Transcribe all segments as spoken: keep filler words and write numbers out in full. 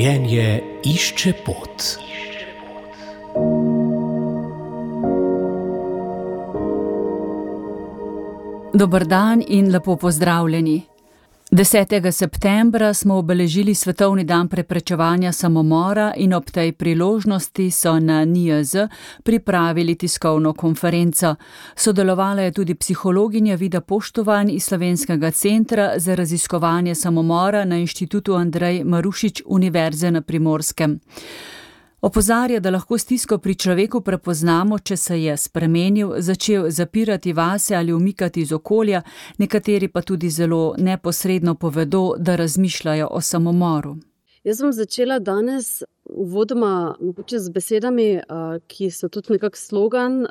Življenje išče pot. Dober dan in lepo pozdravljeni. desetega septembra smo obeležili Svetovni dan preprečevanja samomora in ob tej priložnosti so na N I J Z pripravili tiskovno konferenco. Sodelovala je tudi psihologinja Vida Poštovan iz Slovenskega centra za raziskovanje samomora na Inštitutu Andrej Marušič Univerze na Primorskem. Opozarja, da lahko stisko pri človeku prepoznamo, če se je spremenil, začel zapirati vase ali umikati iz okolja, nekateri pa tudi zelo neposredno povedo, da razmišljajo o samomoru. Jaz sem začela danes uvodoma mogoče z besedami, ki so tudi nekak slogan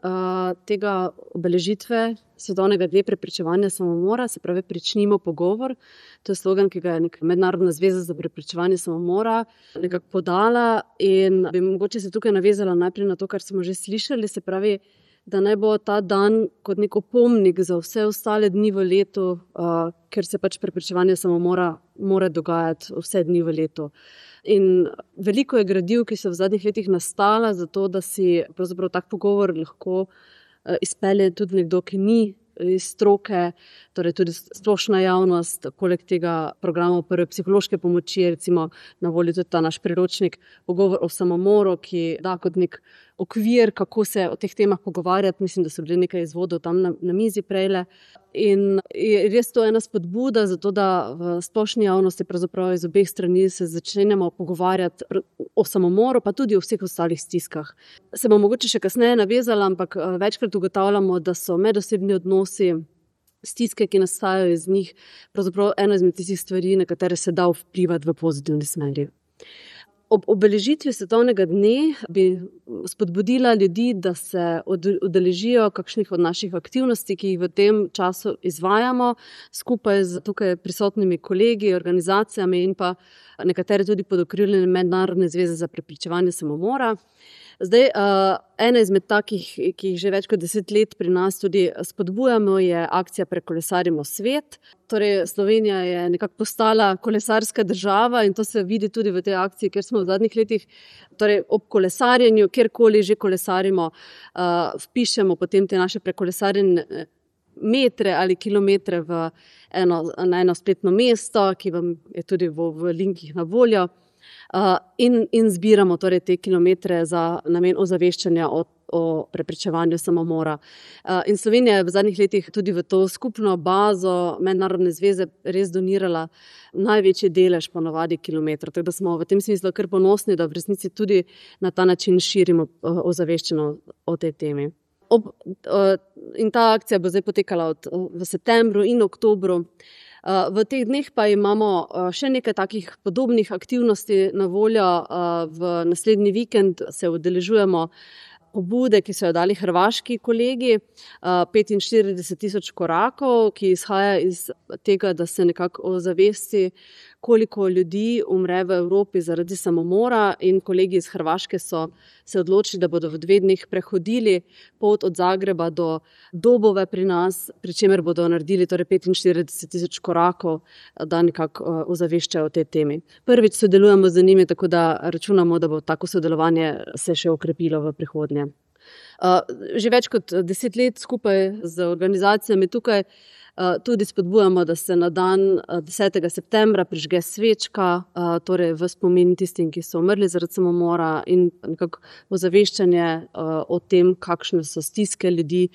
tega obeležitve Svetovnega dne preprečevanja samomora, se pravi pričnimo pogovor. To je slogan, ki ga je neka Mednarodna zveza za preprečevanje samomora nekako podala in bi mogoče se tukaj navezala najprej na to, kar smo že slišali, se pravi, da naj bo ta dan kot nek opomnik za vse ostale dni v letu, uh, ker se pač preprečevanje samomora mora dogajati vse dni v letu. In veliko je gradiv, ki so v zadnjih letih nastala, zato da si pravzaprav tak pogovor lahko uh, izpelje tudi nekdo, ki ni iz stroke, torej tudi splošna javnost, poleg tega programa prve psihološke pomoči, recimo na voljo tudi ta naš priročnik Pogovor o samomoru, ki da kot nek okvir, kako se o teh temah pogovarjati. Mislim, da so bili nekaj izvodov tam na, na mizi prejle. In je res to ena spodbuda za to, da v splošni javnosti pravzaprav iz obeh strani se začnemo pogovarjati o samomoru, pa tudi o vseh ostalih stiskah. Se bom mogoče še kasneje navezala, ampak večkrat ugotavljamo, da so medosebni odnosi, stiske, ki nastajajo iz njih, pravzaprav ena izmed tistih stvari, na katere se da vplivati v pozitivni smeri. Ob obeležitvi Svetovnega dne bi spodbudila ljudi, da se udeležijo kakšnih od naših aktivnosti, ki jih v tem času izvajamo, skupaj z tukaj prisotnimi kolegi, organizacijami in pa nekatere tudi pod okriljem Mednarodne zveze za preprečevanje samomora. Zdaj, ena izmed takih, ki jih že več kot deset let pri nas tudi spodbujamo, je akcija Prekolesarimo svet. Torej, Slovenija je nekako postala kolesarska država in to se vidi tudi v tej akciji, ker smo v zadnjih letih torej ob kolesarjenju, kjerkoli že kolesarimo, vpišemo potem te naše prekolesarjene metre ali kilometre v eno, na eno spletno mesto, ki vam je tudi v, v linkih na voljo. Uh, in, in zbiramo torej te kilometre za namen ozaveščanja o, o preprečevanju samomora. Uh, in Slovenija je v zadnjih letih tudi v to skupno bazo Mednarodne zveze res donirala največji delež ponovadi kilometrov. Tako da smo v tem smislu kar ponosni, da v resnici tudi na ta način širimo uh, ozaveščeno o tej temi. Ob, uh, in ta akcija bo zdaj potekala od, uh, v septembru in oktobru. V teh dneh pa imamo še nekaj takih podobnih aktivnosti na voljo. V naslednji vikend se udeležujemo pobude, ki so jo dali hrvaški kolegi, petinštirideset tisoč korakov, ki izhaja iz tega, da se nekako ozavesti, koliko ljudi umre v Evropi zaradi samomora, in kolegi iz Hrvaške so se odločili, da bodo v dveh dneh prehodili pot od Zagreba do Dobove pri nas, pri čemer bodo naredili torej petinštirideset tisoč korakov, da nekako ozaveščajo o tej temi. Prvič sodelujemo z njimi, tako da računamo, da bo tako sodelovanje se še okrepilo v prihodnje. Že več kot deset let skupaj z organizacijami tukaj tudi spodbujamo, da se na dan desetega septembra prižge svečka, torej v spomin tistim, ki so umrli zaradi samomora, in nekako ozaveščanje o tem, kakšne so stiske ljudi,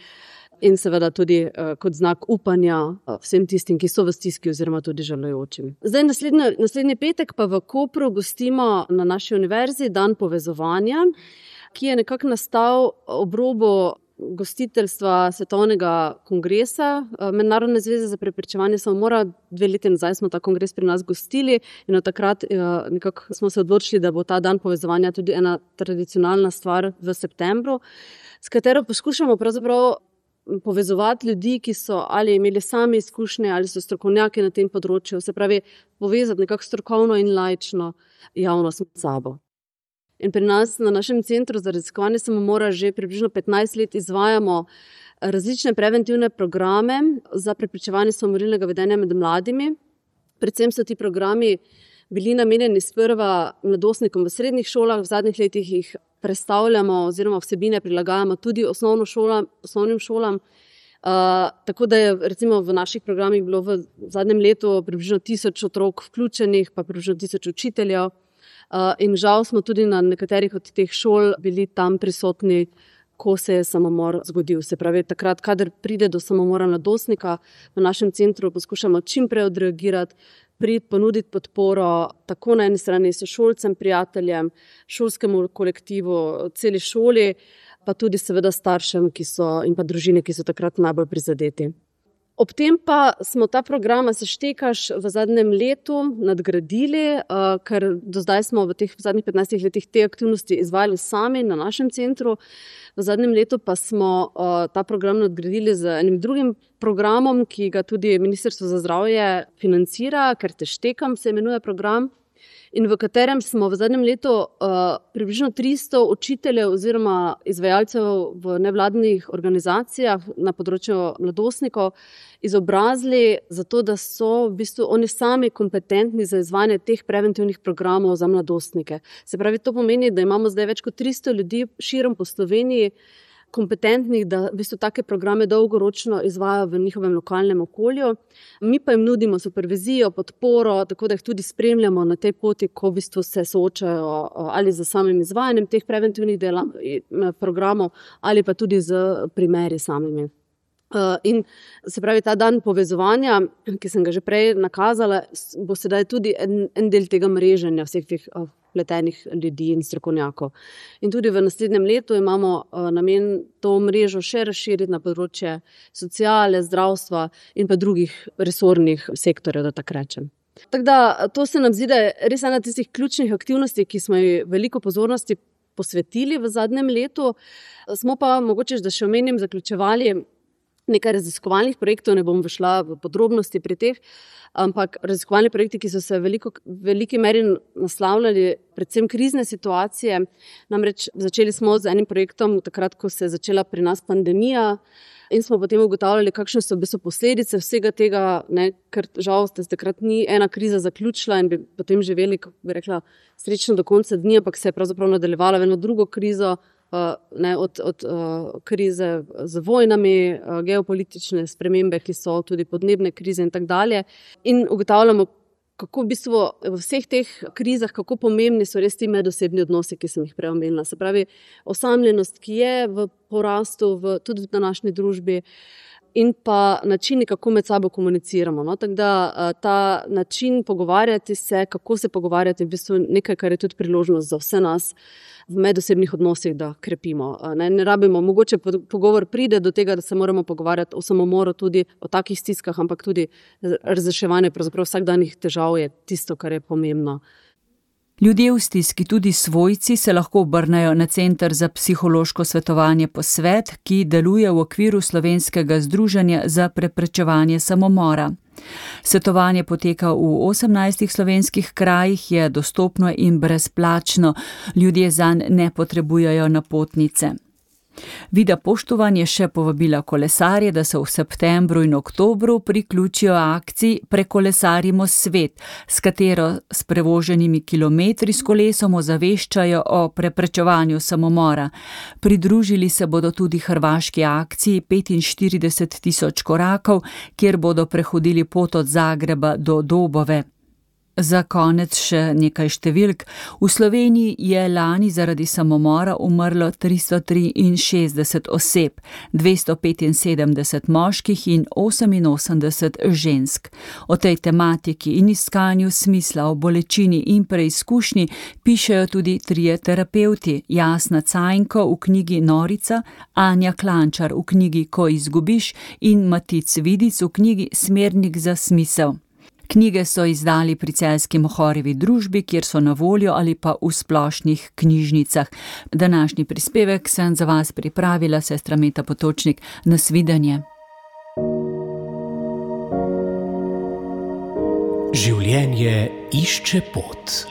in seveda tudi kot znak upanja vsem tistim, ki so v stiski oziroma tudi žalujočim. Zdaj naslednji, naslednji petek pa v Kopru gostimo na naši univerzi dan povezovanja, ki je nekako nastal ob robu gostiteljstva Svetovnega kongresa Mednarodne zveze za preprečevanje samomora. Dve leti nazaj smo ta kongres pri nas gostili in od takrat nekako smo se odločili, da bo ta dan povezovanja tudi ena tradicionalna stvar v septembru, s katero poskušamo pravzaprav povezovati ljudi, ki so ali imeli sami izkušnje ali so strokovnjaki na tem področju, se pravi povezati nekako strokovno in laično javnost med sabo. In pri nas na našem centru za raziskovanje samomora že približno petnajst let izvajamo različne preventivne programe za preprečevanje samomorilnega vedenja med mladimi. Predvsem so ti programi bili namenjeni sprva mladostnikom v srednjih šolah, v zadnjih letih jih prestavljamo oziroma vsebine prilagajamo tudi osnovno šolam, osnovnim šolam. Uh, tako da je recimo v naših programih bilo v zadnjem letu približno tisoč otrok vključenih, pa približno tisoč učiteljev. Uh, in žal smo tudi na nekaterih od teh šol bili tam prisotni, ko se je samomor zgodil. Se pravi, takrat, kadar pride do samomora mladostnika, v našem centru poskušamo čim prej odreagirati, priti, ponuditi podporo tako na eni strani sošolcem, prijateljem, šolskemu kolektivu, celi šoli, pa tudi seveda staršem, ki so, in pa družine, ki so takrat najbolj prizadeti. Ob tem pa smo ta program Seštekaš v zadnjem letu nadgradili, ker do zdaj smo v teh zadnjih petnajstih letih te aktivnosti izvajali sami na našem centru. V zadnjem letu pa smo ta program nadgradili z enim drugim programom, ki ga tudi Ministrstvo za zdravje financira, ker Seštekam se imenuje program, in v katerem smo v zadnjem letu uh, približno tristo učiteljev oziroma izvajalcev v nevladnih organizacijah na področju mladostnikov izobrazili zato, da so v bistvu oni sami kompetentni za izvajanje teh preventivnih programov za mladostnike. Se pravi, to pomeni, da imamo zdaj več kot tristo ljudi širom po Sloveniji, kompetentnih, da v bistvu take programe dolgoročno izvajajo v njihovem lokalnem okolju. Mi pa jim nudimo supervizijo, podporo, tako da jih tudi spremljamo na tej poti, ko v bistvu se soočajo ali z samim izvajanjem teh preventivnih dela, programov ali pa tudi z primeri samimi. In se pravi, ta dan povezovanja, ki sem ga že prej nakazala, bo sedaj tudi en, en del tega mreženja vseh teh vpletenih ljudi in strokovnjakov. In tudi v naslednjem letu imamo uh, namen to mrežo še razširiti na področje sociale, zdravstva in pa drugih resornih sektorjev, da tako rečem. Tako da to se nam zdi, da je res ena tistih ključnih aktivnosti, ki smo ji veliko pozornosti posvetili v zadnjem letu. Smo pa mogoče, da še omenim, zaključevali nekaj raziskovalnih projektov, ne bom šla v podrobnosti pri teh, ampak raziskovalni projekti, ki so se v veliko, veliki meri naslavljali predvsem krizne situacije. Namreč začeli smo z enim projektom takrat, ko se je začela pri nas pandemija, in smo potem ugotavljali, kakšne so v bistvu posledice vsega tega, ne, ker žal se takrat ni ena kriza zaključila in bi potem živeli, kako bi rekla, srečno do konca dni, ampak se je pravzaprav nadaljevala v eno drugo krizo, Uh, ne, od, od uh, krize z vojnami, uh, geopolitične spremembe, ki so tudi podnebne krize in tako dalje. In ugotavljamo, kako v bistvu v vseh teh krizah, kako pomembni so res ti medosebni odnosi, ki sem jih prej omenila. Se pravi, osamljenost, ki je v porastu v, tudi v današnji družbi, in pa načini, kako med sabo komuniciramo. No? Tako da ta način pogovarjati se, kako se pogovarjati, je v bistvu nekaj, kar je tudi priložnost za vse nas v medosebnih odnosih, da krepimo. Ne, ne rabimo, mogoče pogovor pride do tega, da se moramo pogovarjati o samomoru, tudi o takih stiskah, ampak tudi razreševanje pravzaprav vsakdanjih težav je tisto, kar je pomembno. Ljudje v stiski, tudi svojci, se lahko obrnejo na Center za psihološko svetovanje Posvet, ki deluje v okviru Slovenskega združenja za preprečevanje samomora. Svetovanje poteka v osemnajstih slovenskih krajih, je dostopno in brezplačno. Ljudje zanj ne potrebujejo napotnice. Vida Poštovan je še povabila kolesarje, da se v septembru in oktobru priključijo akciji Prekolesarimo svet, s katero s prevoženimi kilometri s kolesom ozaveščajo o preprečevanju samomora. Pridružili se bodo tudi hrvaški akciji petinštirideset tisoč korakov, kjer bodo prehodili pot od Zagreba do Dobove. Za konec še nekaj številk. V Sloveniji je lani zaradi samomora umrlo tristo triinšestdeset oseb, dvesto petinsedemdeset moških in oseminosemdeset žensk. O tej tematiki in iskanju smisla, o bolečini in preizkušnji pišejo tudi trije terapevti, Jasna Cajnko v knjigi Norica, Anja Klančar v knjigi Ko izgubiš in Matic Vidic v knjigi Smernik za smisel. Knjige so izdali pri Celjski Mohorjevi družbi, kjer so na voljo ali pa v splošnih knjižnicah. Današnji prispevek sem za vas pripravila sestra Meta Potočnik. Nasvidenje. Življenje išče pot.